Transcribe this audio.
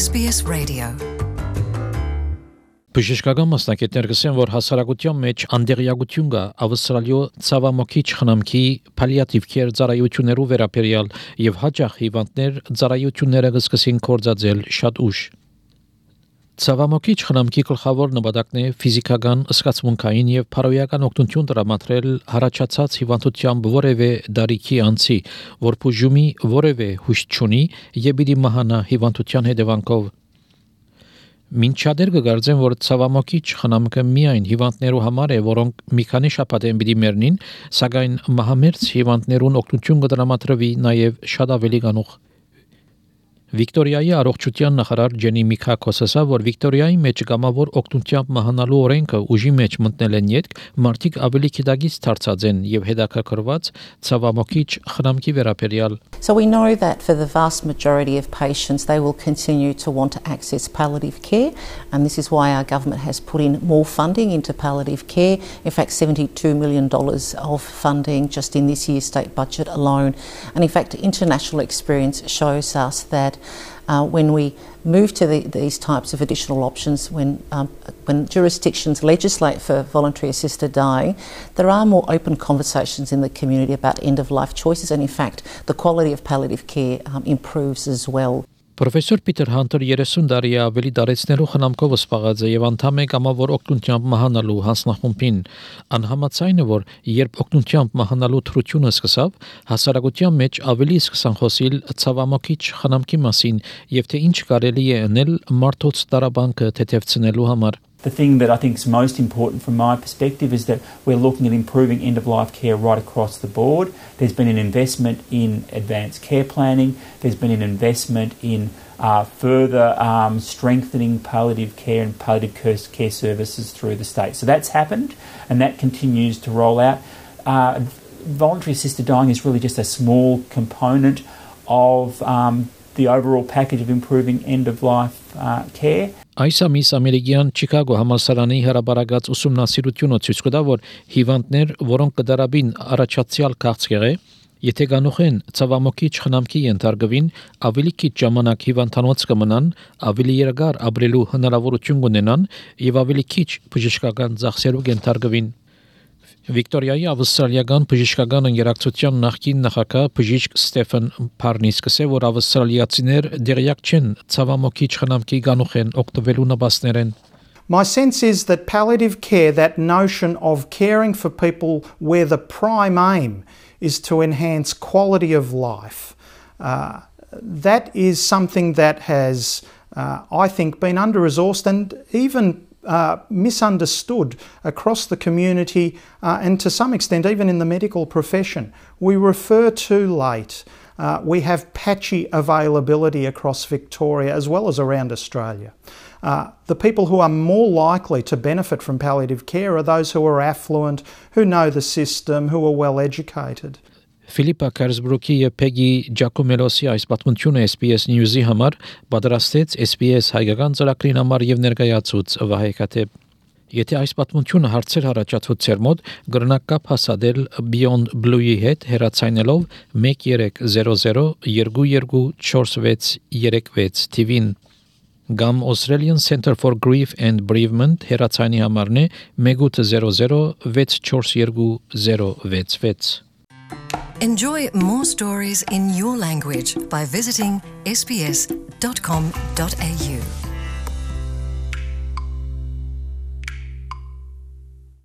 SBS Radio. Բժշկական մասնակիցներ գսեն, որ հասարակության մեջ անդեղյակություն կա ավստրալիո ցավամոքիչ խնամքի պալիատիվ քեր ծառայություններու վերաբերյալ եւ հաճախ հիվանդներ ծառայությունները կսկսին կորցածել շատ ուշ։ Ցավամոքիչ խնամքի գլխավոր նպատակն է ֆիզիկական, զգացմունքային եւ փարոյական օգնություն տրամադրել հարաճած հիվանդությամբ որևէ դարիքի անձի, որ բուժումի որևէ հույս չունի եւ պիտի մահանա հիվանդության հետևանքով։ Մինչադեռ կգարձեն, որ ցավամոքիչ խնամքը միայն հիվանդներու համար է, որոնք մի քանի շաբաթ են պիտի մեռնին, սակայն մահամերձ հիվանդներուն օգնություն կտրամադրվի նաեւ շատ ավելի գանուխ։ Վիկտորիայի առողջության նախարար Ջենի Միքակոս ասա, որ Վիկտորիայի մեջ կամավոր օգնությամբ մահանալու օրենքը ուժի մեջ մտնել են յետք, մարդիկ ավելի քիդագից դարձած են եւ հետաքրքրված ցավամոքիչ խնամքի վերաբերյալ։ So we know that for the vast majority of patients, they will continue to want to access palliative care, and this is why our government has put in more funding into palliative care. In fact, $72 million of funding just in this year's state budget alone. And in fact, international experience shows us that when we move to these types of additional options, when jurisdictions legislate for voluntary assisted dying, there are more open conversations in the community about end-of-life choices, and in fact, the quality of palliative care improves as well. Պրոֆեսոր Պիտեր Հանտեր 30 տարի ավելի դարեցնելու խնամքով զբաղած է եւ անդամ է կամավոր օգնությամբ մահանալու հանձնախումբին։ Անհամաձայն է, որ երբ օգնությամբ մահանալու թրությունը սկսավ, հասարակության մեջ ավելի սկսան խոսել ցավամոքիչ խնամքի մասին եւ թե ինչ կարելի է անել մարդոց տարաբանքը թեթևցնելու համար։ The thing that I think is most important from my perspective is that we're looking at improving end-of-life care right across the board. There's been an investment in advanced care planning. There's been an investment in further strengthening palliative care and palliative care services through the state. So that's happened, and that continues to roll out. Voluntary assisted dying is really just a small component of the overall package of improving end-of-life care. Այս ամիս ամերիկյան Չիկագո համալսարանի հրաբարակած ուսումնասիրությունը ցույց կտա, որ հիվանդներ, որոնք կդարաբին առաջացյալ քաղցկեղը, եթե գանուխեն ցավամոքիչ խնամքի ենթարկվին, ավելի քիչ ժամանակ հիվանդանոց կմնան, ավելի երկար ապրելու հնարավորություն կունենան եւ ավելի քիչ բժշկական ծախսերով ենթարկվին։ Վիկտորիայի ավստրալիական բժշկական ընկերակցության նախկին նախագահ բժիշկ Ստեֆեն Փարնիսը ասել, որ ավստրալիացիներ դերյակ չեն ցավամոքիչ խնամքի գանուխեն օգտվելու նպաստներեն։ My sense is that palliative care, that notion of caring for people where the prime aim is to enhance quality of life, that is something that has, I think, been under-resourced and even misunderstood across the community and to some extent even in the medical profession. We refer too late. We have patchy availability across Victoria as well as around Australia. The people who are more likely to benefit from palliative care are those who are affluent, who know the system, who are well educated. Ֆիլիպա Քերսբրուկի եւ Փեգի Ջակոմելոսի այս պատմությունը SBS News-ի համար պատրաստեց SBS հայկական ծրագրին համար եւ ներկայացուց Վահե Քաթեփ։ Եթե այս պատմությունը հարցեր առաջացուց ձեր մոտ, գրնակ կապ հասադել Beyond Blue-ի հետ հեռացայնելով 1300 224636 TV-ին Gam Australian Centre for Grief and Bereavement հեռացայնի համարն է 1800 642 Enjoy more stories in your language by visiting sbs.com.au.